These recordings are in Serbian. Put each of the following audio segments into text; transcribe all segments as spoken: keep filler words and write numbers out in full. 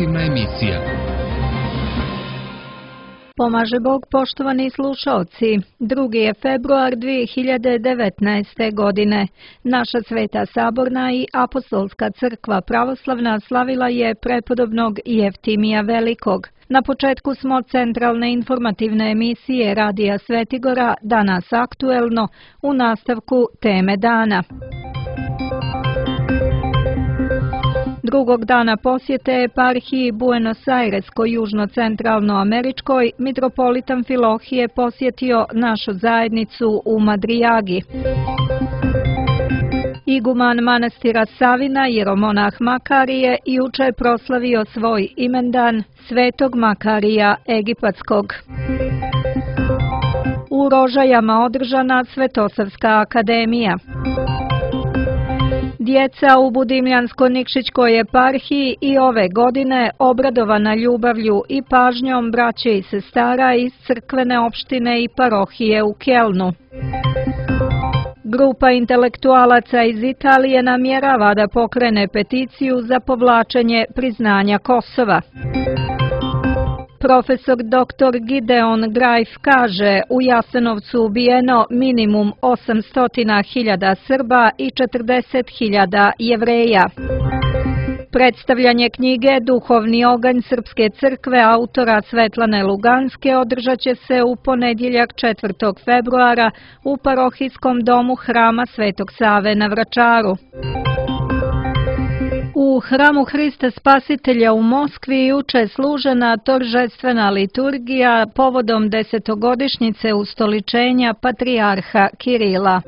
informativna emisija. Pomaže Bog, poštovani slušalci. drugi je februar dvije hiljade devetnaeste. godine. Naša Sveta Saborna i Apostolska crkva pravoslavna slavila je prepodobnog Jeftimija Velikog. Na početku smo centralne informativne emisije Radija Svetigora, danas aktuelno, u nastavku teme dana. Drugog dana posjete eparhiji Buenos Airesko južno-centralno-američkoj, mitropolit Amfilohije posjetio našu zajednicu u Madrijagi. Iguman manastira Savina, jeromonah Makarije, juče proslavio svoj imendan, Svetog Makarija Egipatskog. U Rožajama održana Svetosavska akademija. Djeca u Budimljansko-Nikšićkoj eparhiji i ove godine obradovana ljubavlju i pažnjom braće i sestara iz crkvene opštine i parohije u Kelnu. Grupa intelektualaca iz Italije namjerava da pokrene peticiju za povlačenje priznanja Kosova. Profesor doktor Gideon Grajf kaže, u Jasenovcu ubijeno minimum osamsto hiljada Srba i četrdeset hiljada Jevreja. Predstavljanje knjige Duhovni oganj Srpske crkve autora Svetlane Luganske održat će se u ponedjeljak četvrtog februara u parohijskom domu Hrama Svetog Save na Vračaru. U Hramu Hrista Spasitelja u Moskvi juče služena toržestvena liturgija povodom desetogodišnjice ustoličenja patrijarha Kirila.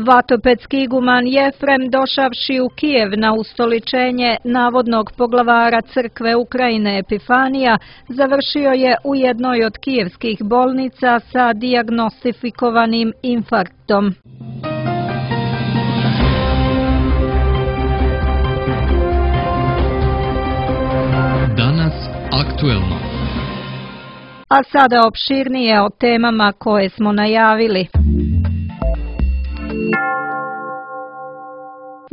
Vatopedski iguman Jefrem, došavši u Kijev na ustoličenje navodnog poglavara crkve Ukrajine Epifanija, završio je u jednoj od kijevskih bolnica sa dijagnostifikovanim infarktom. Danas aktuelno. A sada opširnije o temama koje smo najavili.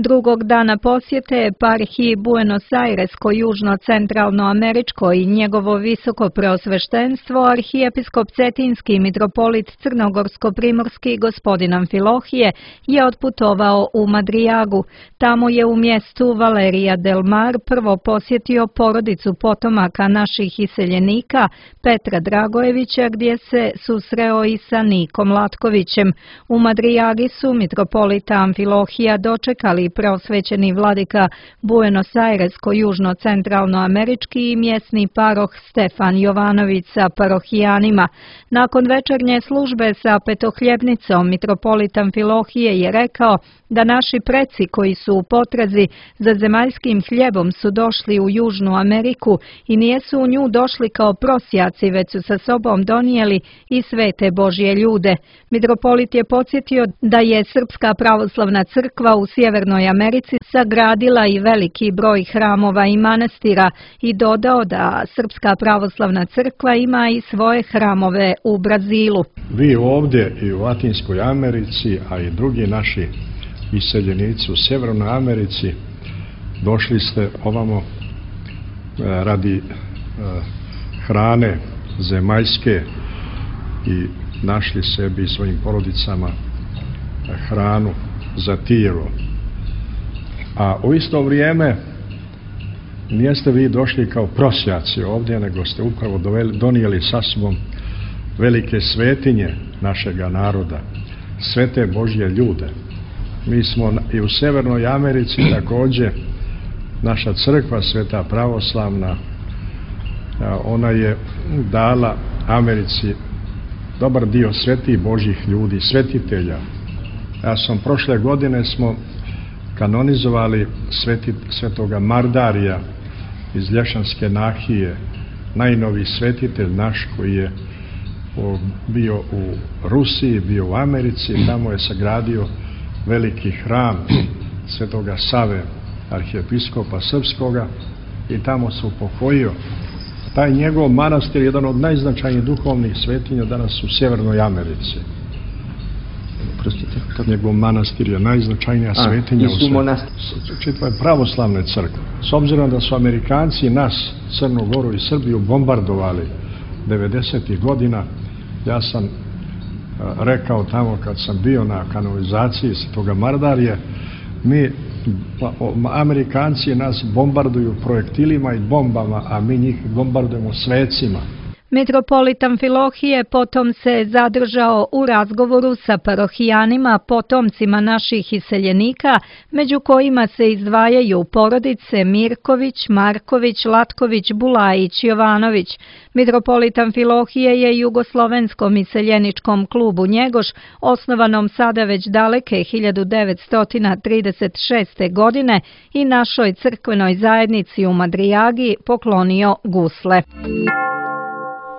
Drugog dana posjete eparhiji Buenos Airesko južno-centralno-američko i njegovo visoko preosveštenstvo arhijepiskop Cetinski mitropolit Crnogorsko-primorski gospodin Amfilohije je otputovao u Madrijagu. Tamo je u mjestu Valerija del Mar prvo posjetio porodicu potomaka naših iseljenika Petra Dragojevića, gdje se susreo i sa Nikom Latkovićem. U Madrijagi su mitropolita Amfilohija dočekali preosvećeni vladika Buenos Airesko južno-centralno-američki i mjesni paroh Stefan Jovanović sa parohijanima. Nakon večernje službe sa petohljebnicom mitropolit Amfilohije je rekao da naši preci koji su u potrazi za zemaljskim hljebom su došli u Južnu Ameriku i nijesu u nju došli kao prosjaci, već su sa sobom donijeli i svete Božje ljude. Mitropolit je podsjetio da je Srpska pravoslavna crkva u Sjevernoj Americi sagradila i veliki broj hramova i manastira i dodao da Srpska pravoslavna crkva ima i svoje hramove u Brazilu. Vi ovdje i u Latinskoj Americi, a i drugi naši iseljenici u Sjevernoj Americi, došli ste ovamo radi hrane zemaljske i našli sebi i svojim porodicama hranu za tijelo. A u isto vrijeme nijeste vi došli kao prosjaci ovdje, nego ste upravo donijeli sa sobom velike svetinje našega naroda, svete Božje ljude. Mi smo i u Sjevernoj Americi također, naša crkva Sveta pravoslavna, ona je dala Americi dobar dio svetih Božjih ljudi, svetitelja. Ja sam prošle godine smo kanonizovali sveti, svetoga Mardarija iz Lješanske nahije, najnoviji svetitelj naš koji je bio u Rusiji, bio u Americi, tamo je sagradio veliki hram svetoga Save, arhijepiskopa srpskoga, i tamo se upokojio. Taj njegov manastir je jedan od najznačajnijih duhovnih svetinja danas u Sjevernoj Americi. Njegov manastir je najznačajnija svetinja u svijetu. Čitave pravoslavne crkve. S obzirom da su Amerikanci nas, Crnu Goru i Srbiju bombardovali devedesetih godina, ja sam rekao tamo kad sam bio na kanalizaciji Svetoga Mardarije, mi, Amerikanci nas bombarduju projektilima i bombama, a mi njih bombardujemo svecima. Mitropolit Amfilohije potom se zadržao u razgovoru sa parohijanima, potomcima naših iseljenika, među kojima se izdvajaju porodice Mirković, Marković, Latković, Bulajić, Jovanović. Mitropolit Amfilohije je jugoslovenskom iseljeničkom klubu Njegoš, osnovanom sada već daleke hiljadu devetsto trideset šeste. godine, i našoj crkvenoj zajednici u Madrijagi poklonio gusle.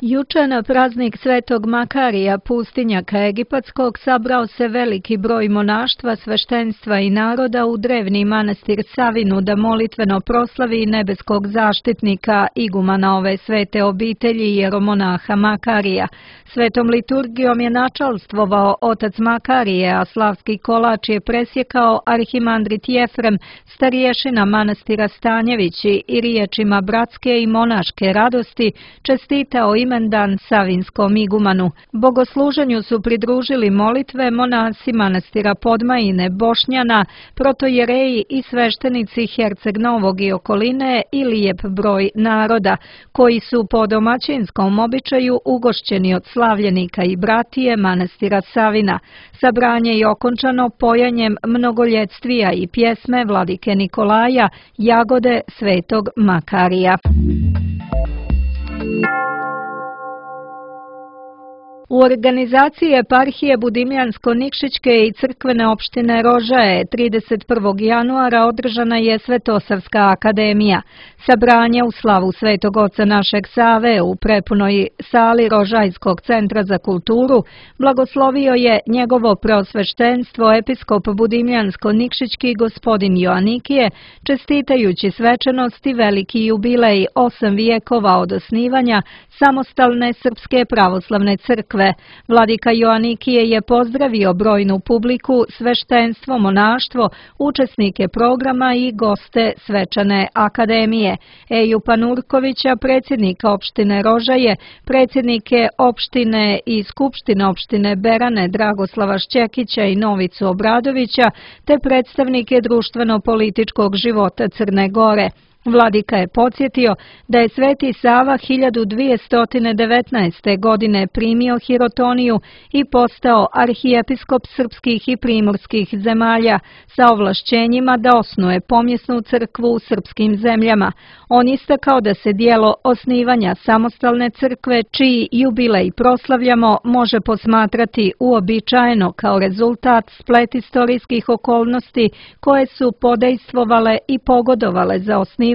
Juče na praznik Svetog Makarija, pustinjaka egipatskog, sabrao se veliki broj monaštva, sveštenstva i naroda u drevni manastir Savinu da molitveno proslavi nebeskog zaštitnika, igumana ove svete obitelji jeromonaha Makarija. Svetom liturgijom je načalstvovao otac Makarije, a slavski kolač je presjekao arhimandrit Jefrem, stariješina manastira Stanjevići, i riječima bratske i monaške radosti čestitao imendan savinskom igumanu. Bogosluženju su pridružili molitve monasi manastira Podmajine, Bošnjana, protojereji i sveštenici Herceg Novog i okoline i lijep broj naroda, koji su po domaćinskom običaju ugošćeni od slavljenika i bratije manastira Savina. Sabranje je okončano pojanjem mnogoljetvija i pjesme vladike Nikolaja, Jagode Svetog Makarija. U organizaciji eparhije Budimljansko-Nikšićke i crkvene opštine Rožaje trideset prvog januara održana je Svetosavska akademija. Sabranje u slavu Svetog oca našeg Save u prepunoj sali Rožajskog centra za kulturu blagoslovio je njegovo preosveštenstvo episkop Budimljansko-Nikšićki gospodin Joanikije, čestitajući svečanosti veliki jubilej osam vijekova od osnivanja samostalne Srpske pravoslavne crkve. Vladika Joanikije je pozdravio brojnu publiku, sveštenstvo, monaštvo, učesnike programa i goste svečane akademije. Eju Panurkovića, predsjednika opštine Rožaje, predsjednike opštine i skupštine opštine Berane Dragoslava Šćekića i Novicu Obradovića, te predstavnike društveno-političkog života Crne Gore. Vladika je podsjetio da je Sveti Sava hiljadu dvjesto devetnaeste. godine primio hirotoniju i postao arhijepiskop srpskih i primorskih zemalja sa ovlašćenjima da osnuje pomjesnu crkvu u srpskim zemljama. On istakao da se dijelo osnivanja samostalne crkve, čiji jubilej proslavljamo, može posmatrati uobičajeno kao rezultat splet istorijskih okolnosti koje su podejstvovale i pogodovale za osnivanje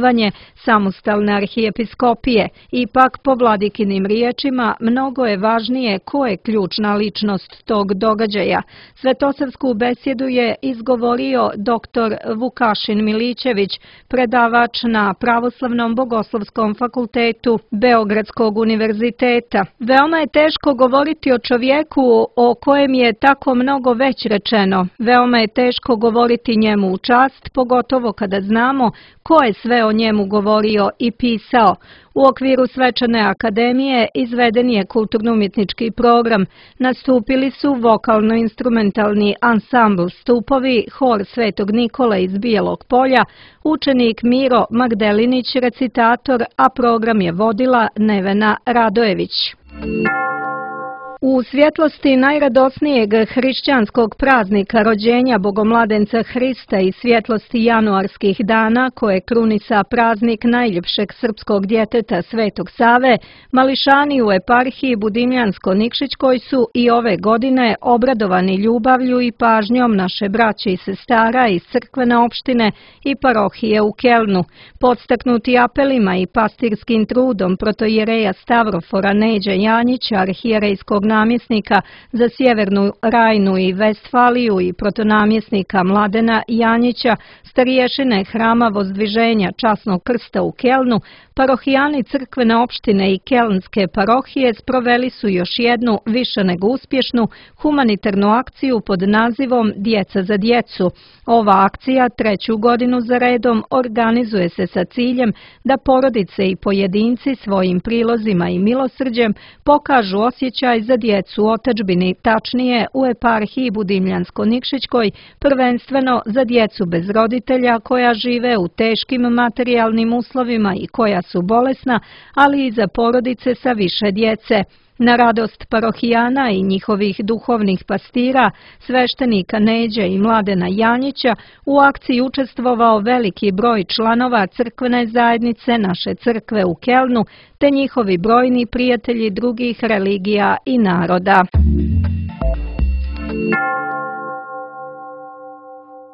samostalne arhijepiskopije. Ipak, po vladikinim riječima, mnogo je važnije ko je ključna ličnost tog događaja. Svetosavsku besjedu je izgovorio doktor Vukašin Milićević, predavač na Pravoslavnom bogoslovskom fakultetu Beogradskog univerziteta. Veoma je teško govoriti o čovjeku o kojem je tako mnogo već rečeno. Veoma je teško govoriti njemu u čast, pogotovo kada znamo ko je sve o njemu govorio i pisao. U okviru svečane akademije izveden je kulturno-umjetnički program. Nastupili su vokalno-instrumentalni ansambl Stupovi, hor Svetog Nikole iz Bijelog Polja, učenik Miro Magdelinić, recitator, a program je vodila Nevena Radojević. U svjetlosti najradosnijeg hrišćanskog praznika rođenja Bogomladenca Hrista i svjetlosti januarskih dana koje krunisa praznik najljepšeg srpskog djeteta Svetog Save, mališani u eparhiji Budimljansko-Nikšićkoj su i ove godine obradovani ljubavlju i pažnjom naše braće i sestara iz crkvene opštine i parohije u Kelnu. Podstaknuti apelima i pastirskim trudom protojereja Stavrofora Neđe Janjića, arhijerejskog namjesnika za Sjevernu Rajnu i Vestfaliju i protonamjesnika Mladena Janjića, stariješine Hrama Vozdviženja Časnog krsta u Kelnu, parohijani crkvene opštine i kelnske parohije sproveli su još jednu, više nego uspješnu, humanitarnu akciju pod nazivom Djeca za djecu. Ova akcija treću godinu za redom organizuje se sa ciljem da porodice i pojedinci svojim prilozima i milosrđem pokažu osjećaj za djecu u otadžbini, tačnije u eparhiji Budimljansko-Nikšićkoj, prvenstveno za djecu bez roditelja koja žive u teškim materijalnim uslovima i koja su bolesna, ali i za porodice sa više djece. Na radost parohijana i njihovih duhovnih pastira, sveštenika Neđe i Mladena Janjića, u akciji učestvovao veliki broj članova crkvene zajednice naše crkve u Kelnu, te njihovi brojni prijatelji drugih religija i naroda.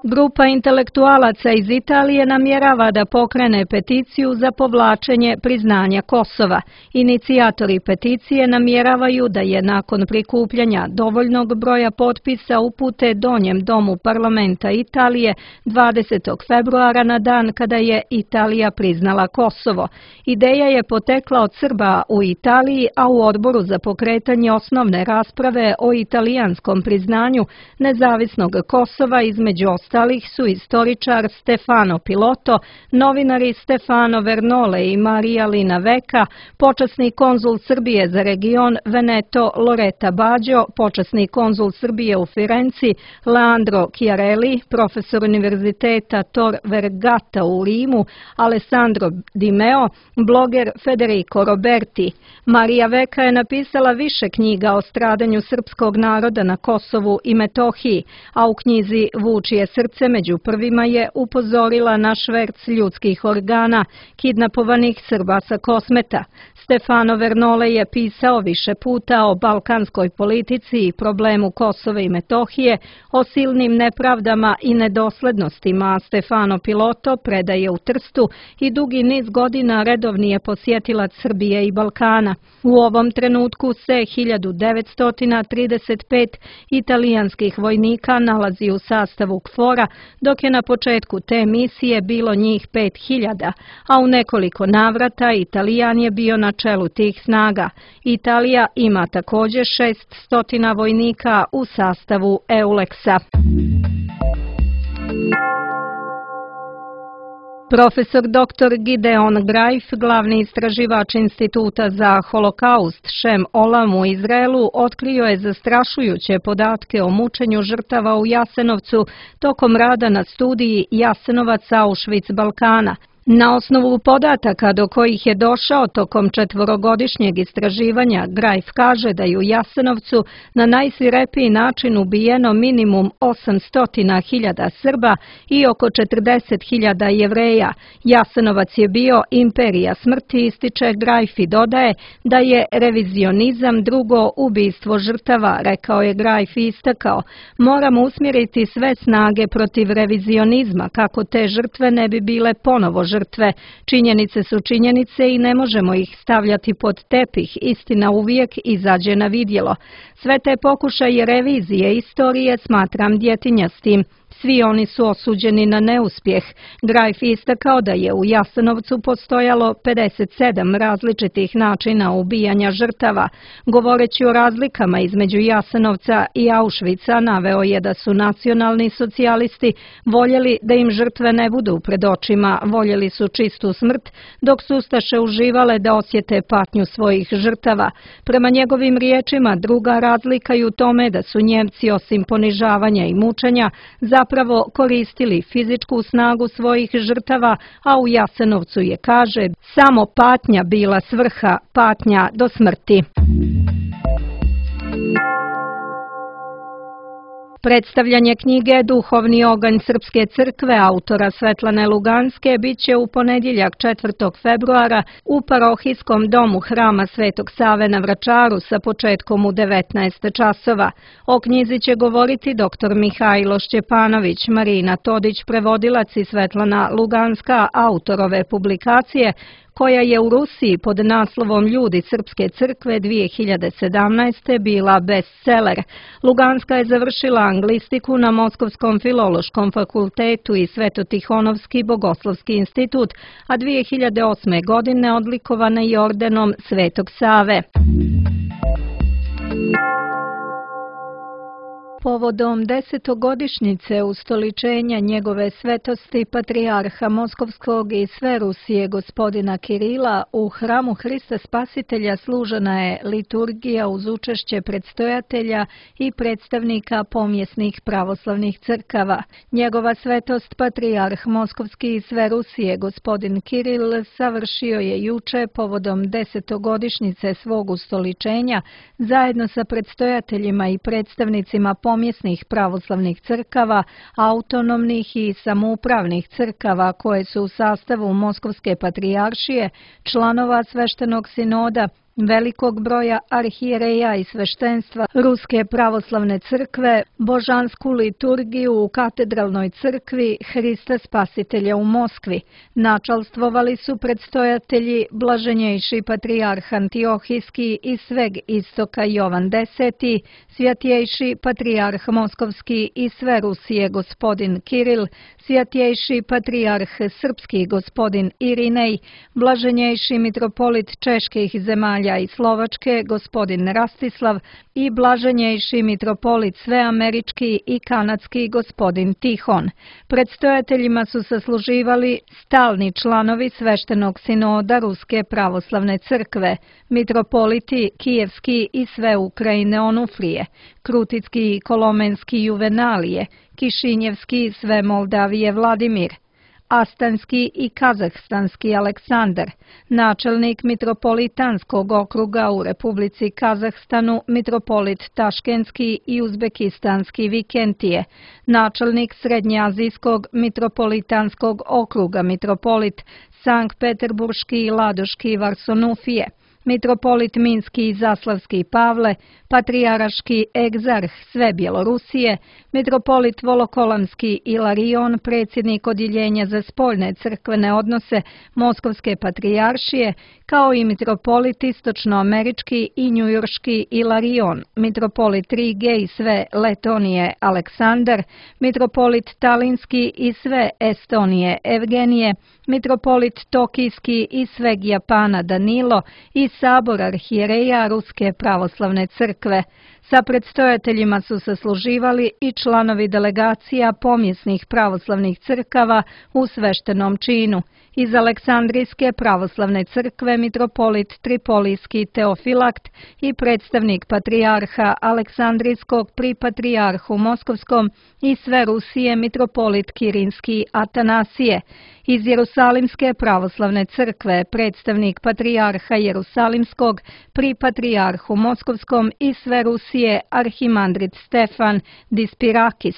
Grupa intelektualaca iz Italije namjerava da pokrene peticiju za povlačenje priznanja Kosova. Inicijatori peticije namjeravaju da je nakon prikupljanja dovoljnog broja potpisa upute Donjem domu parlamenta Italije dvadesetog februara na dan kada je Italija priznala Kosovo. Ideja je potekla od Srba u Italiji, a u odboru za pokretanje osnovne rasprave o italijanskom priznanju nezavisnog Kosova između ostalih su istoričar Stefano Piloto, novinari Stefano Vernole i Marija Lina Veka, počasni konzul Srbije za region Veneto Loreta Bađo, počasni konzul Srbije u Firenci Leandro Chiarelli, profesor univerziteta Tor Vergata u Rimu Alessandro Di Meo, bloger Federico Roberti. Marija Veka je napisala više knjiga o stradanju srpskog naroda na Kosovu i Metohiji, a u knjizi Vučije srce među prvima je upozorila na šverc ljudskih organa kidnapovanih Srba sa Kosmeta. Stefano Vernole je pisao više puta o balkanskoj politici i problemu Kosova i Metohije, o silnim nepravdama i nedoslednostima, a Stefano Piloto predaje u Trstu i dugi niz godina redovni je posjetilac Srbije i Balkana. U ovom trenutku se hiljadu devetsto trideset pet italijanskih vojnika nalazi u sastavu KFOR-a, dok je na početku te misije bilo njih pet hiljada, a u nekoliko navrata Italijan je bio na čelu tih snaga. Italija ima također šesnaest vojnika u sastavu EULEX-a. Profesor doktor Gideon Greif, glavni istraživač Instituta za holokaust Šem Olam u Izraelu, otkrio je zastrašujuće podatke o mučenju žrtava u Jasenovcu tokom rada na studiji Jasenovac Auschwitz Balkana. Na osnovu podataka do kojih je došao tokom četvorogodišnjeg istraživanja, Greif kaže da je u Jasenovcu na najsvirepiji način ubijeno minimum osamsto hiljada Srba i oko četrdeset hiljada Jevreja. Jasenovac je bio imperija smrti, ističe Greif i dodaje da je revizionizam drugo ubistvo žrtava, rekao je Greif i istakao. Moramo usmjeriti sve snage protiv revizionizma kako te žrtve ne bi bile ponovo žrtve. Činjenice su činjenice i ne možemo ih stavljati pod tepih, istina uvijek izađe na vidjelo. Sve te pokušaje revizije istorije smatram djetinjastim. Svi oni su osuđeni na neuspjeh. Greif istakao da je u Jasenovcu postojalo pedeset sedam različitih načina ubijanja žrtava. Govoreći o razlikama između Jasenovca i Auschwitza, naveo je da su nacionalni socijalisti voljeli da im žrtve ne budu pred očima, voljeli su čistu smrt, dok su ustaše uživale da osjete patnju svojih žrtava. Prema njegovim riječima, druga razlika je u tome da su Njemci osim ponižavanja i mučenja zapravo koristili fizičku snagu svojih žrtava, a u Jasenovcu je, kaže, samo patnja bila svrha, patnja do smrti. Predstavljanje knjige Duhovni oganj Srpske crkve autora Svetlane Luganske biće u ponedjeljak četvrtog februara u parohijskom domu Hrama Svetog Save na Vračaru sa početkom u devetnaest časova. O knjizi će govoriti doktor Mihajlo Šćepanović, Marina Todić, prevodilac i Svetlana Luganska, autor ove publikacije, koja je u Rusiji pod naslovom Ljudi Srpske crkve dvije hiljade sedamnaeste. bila bestseller. Luganska je završila anglistiku na Moskovskom filološkom fakultetu i Svetotihonovski bogoslovski institut, a dvije hiljade osme. godine odlikovana je ordenom Svetog Save. Povodom desetogodišnjice ustoličenja njegove svetosti patrijarha Moskovskog i sve Rusije gospodina Kirila, u hramu Hrista Spasitelja služena je liturgija uz učešće predstojatelja i predstavnika pomjesnih pravoslavnih crkava. Njegova svetost patrijarh Moskovski i sve Rusije gospodin Kiril savršio je juče povodom desetogodišnjice svog ustoličenja zajedno sa predstojateljima i predstavnicima pomjesnih pravoslavnih crkava, autonomnih i samoupravnih crkava koje su u sastavu Moskovske patrijaršije, članova sveštenog sinoda, velikog broja arhijereja i sveštenstva Ruske pravoslavne crkve, božansku liturgiju u katedralnoj crkvi Hrista Spasitelja u Moskvi. Načalstvovali su predstojatelji blaženjejši patrijarh Antiohijski i sveg istoka Jovan Deseti, svjatjejši patrijarh Moskovski i sve Rusije gospodin Kiril, svjatjejši patrijarh Srpski gospodin Irinej, blaženjejši mitropolit čeških zemalja i Slovačke gospodin Rastislav i blaženjejši mitropolit sveamerički i kanadski gospodin Tihon. Predstojateljima su sasluživali stalni članovi sveštenog sinoda Ruske pravoslavne crkve, mitropoliti Kijevski i sve Ukrajine Onufrije, Kruticki i Kolomenski Juvenalije, Kišinjevski i sve Moldavije Vladimir, Astanski i Kazahstanski Aleksandar, načelnik mitropolitanskog okruga u Republici Kazahstanu mitropolit Taškenski i Uzbekistanski Vikentije, načelnik Srednjeazijskog mitropolitanskog okruga mitropolit Sankt-Peterburški i Ladoški Varsonufije, mitropolit Minski i Zaslavski Pavle, patrijaraški egzarh sve Bjelorusije, mitropolit Volokolamski Ilarion, predsjednik odjeljenja za spoljne crkvene odnose Moskovske patrijaršije, kao i mitropolit istočnoamerički i njujorški Ilarion, mitropolit Rige i sve Letonije Aleksandar, mitropolit Talinski i sve Estonije Evgenije, mitropolit Tokijski i sveg Japana Danilo i sabor arhijereja Ruske pravoslavne crkve. Sa predstojateljima su sasluživali i članovi delegacija pomjesnih pravoslavnih crkava u sveštenom činu. Iz Aleksandrijske pravoslavne crkve mitropolit Tripolijski Teofilakt i predstavnik patrijarha Aleksandrijskog pri patrijarhu Moskovskom i sve Rusije mitropolit Kirinski Atanasije. Iz Jerusalimske pravoslavne crkve predstavnik patrijarha Jerusalimskog pri patrijarhu Moskovskom i sve Rusije arhimandrit Stefan Dispirakis.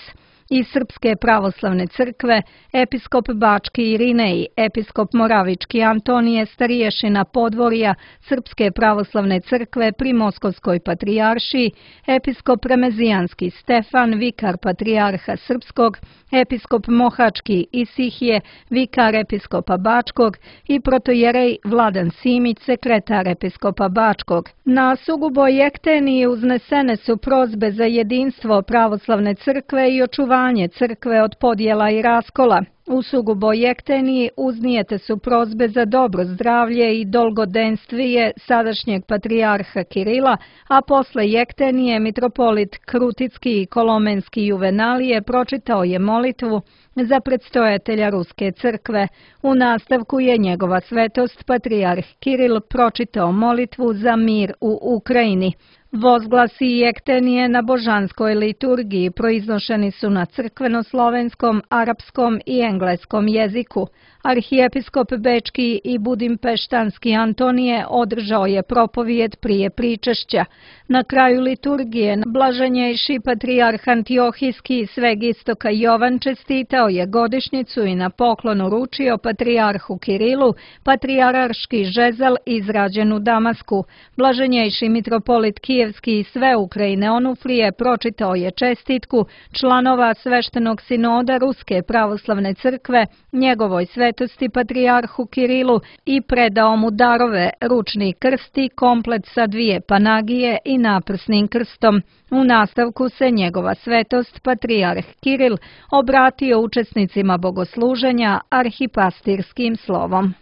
Iz Srpske pravoslavne crkve episkop Bački Irinej, episkop Moravički Antonije Stariješina Podvorja Srpske pravoslavne crkve pri Moskovskoj patrijaršiji, episkop Remezijanski Stefan, vikar patrijarha Srpskog, episkop Mohački Isihije, vikar episkopa Bačkog i protojerej Vladan Simić, sekretar episkopa Bačkog. Na Suguboj Jekteniji uznesene su prozbe za jedinstvo pravoslavne crkve i očuvanje crkve od podjela i raskola. U Suguboj Jekteniji uznijete su prozbe za dobro zdravlje i dolgodenstvije sadašnjeg patrijarha Kirila, a posle Jektenije mitropolit Kruticki i Kolomenski Juvenalije pročitao je molitvu za predstojatelja Ruske crkve. U nastavku je njegova svetost patrijarh Kiril pročitao molitvu za mir u Ukrajini. Vozglasi i ektenije na božanskoj liturgiji proiznošeni su na crkveno-slovenskom, arapskom i engleskom jeziku. Arhijepiskop Bečki i Budimpeštanski Antonije održao je propovijed prije pričešća. Na kraju liturgije blaženjejši patrijarh Antiohijski sveg istoka Jovan čestitao je godišnjicu i na poklon uručio patrijarhu Kirilu patrijarški žezel izrađen u Damasku. Blaženjejši mitropolit Kijevski i sve Ukrajine Onufrije pročitao je čestitku članova sveštenog sinoda Ruske pravoslavne crkve njegovoj svetosti patrijarhu Kirilu i predao mu darove, ručni krst i komplet sa dvije panagije i naprsnim krstom. U nastavku se njegova svetost patrijarh Kiril obratio učesnicima bogosluženja arhipastirskim slovom.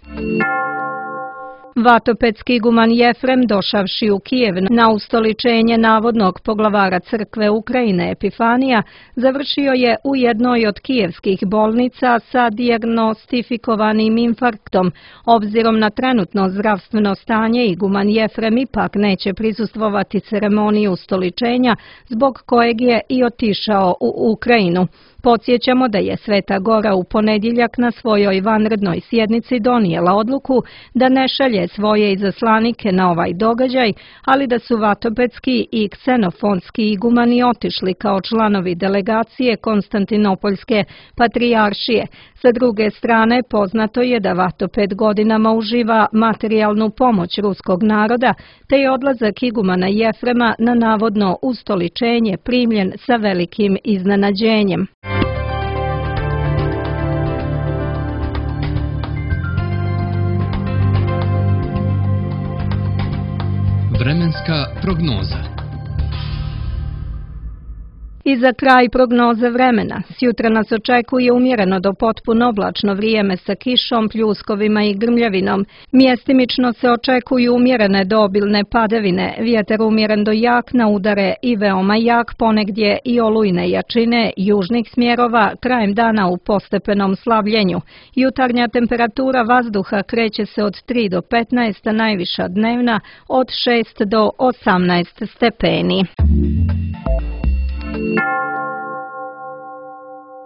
Vatopedski iguman Jefrem, došavši u Kijev na ustoličenje navodnog poglavara crkve Ukrajine Epifanija, završio je u jednoj od kijevskih bolnica sa dijagnostifikovanim infarktom. Obzirom na trenutno zdravstveno stanje, iguman Jefrem ipak neće prisustvovati ceremoniji ustoličenja, zbog kojeg je i otišao u Ukrajinu. Podsjećamo da je Sveta Gora u ponedjeljak na svojoj vanrednoj sjednici donijela odluku da ne šalje svoje izaslanike na ovaj događaj, ali da su vatopedski i ksenofonski igumani otišli kao članovi delegacije Konstantinopoljske patrijaršije. Sa druge strane, poznato je da Vatoped godinama uživa materijalnu pomoć ruskog naroda, te je odlazak igumana Jefrema na navodno ustoličenje primljen sa velikim iznenađenjem. Vremenska prognoza. I za kraj prognoze vremena. Sjutra nas očekuje umjereno do potpuno oblačno vrijeme sa kišom, pljuskovima i grmljavinom. Mjestimično se očekuju umjerene do obilne padavine, vjetar umjeren do jak na udare i veoma jak, ponegdje i olujne jačine južnih smjerova, krajem dana u postepenom slabljenju. Jutarnja temperatura vazduha kreće se od tri do petnaest, a najviša dnevna od šest do osamnaest stepeni.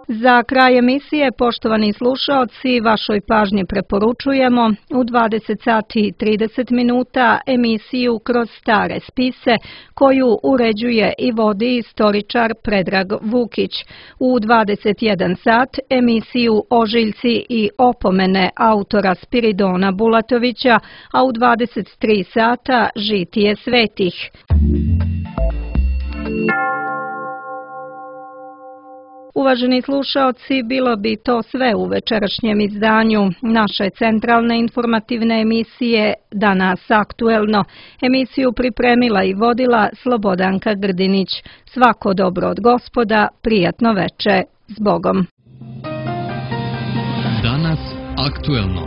Za kraj emisije, poštovani slušaoci, vašoj pažnji preporučujemo u dvadeset sati i trideset minuta emisiju Kroz stare spise, koju uređuje i vodi istoričar Predrag Vukić. U dvadeset jedan sat emisiju Ožiljci i opomene autora Spiridona Bulatovića, a u dvadeset tri sata Žitije svetih. Uvaženi slušaoci, bilo bi to sve u večerašnjem izdanju naše centralne informativne emisije Danas aktuelno. Emisiju pripremila i vodila Slobodanka Grdinić. Svako dobro od Gospoda, prijatno veče, s Bogom. Danas aktuelno.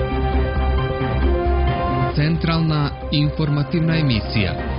Centralna informativna emisija.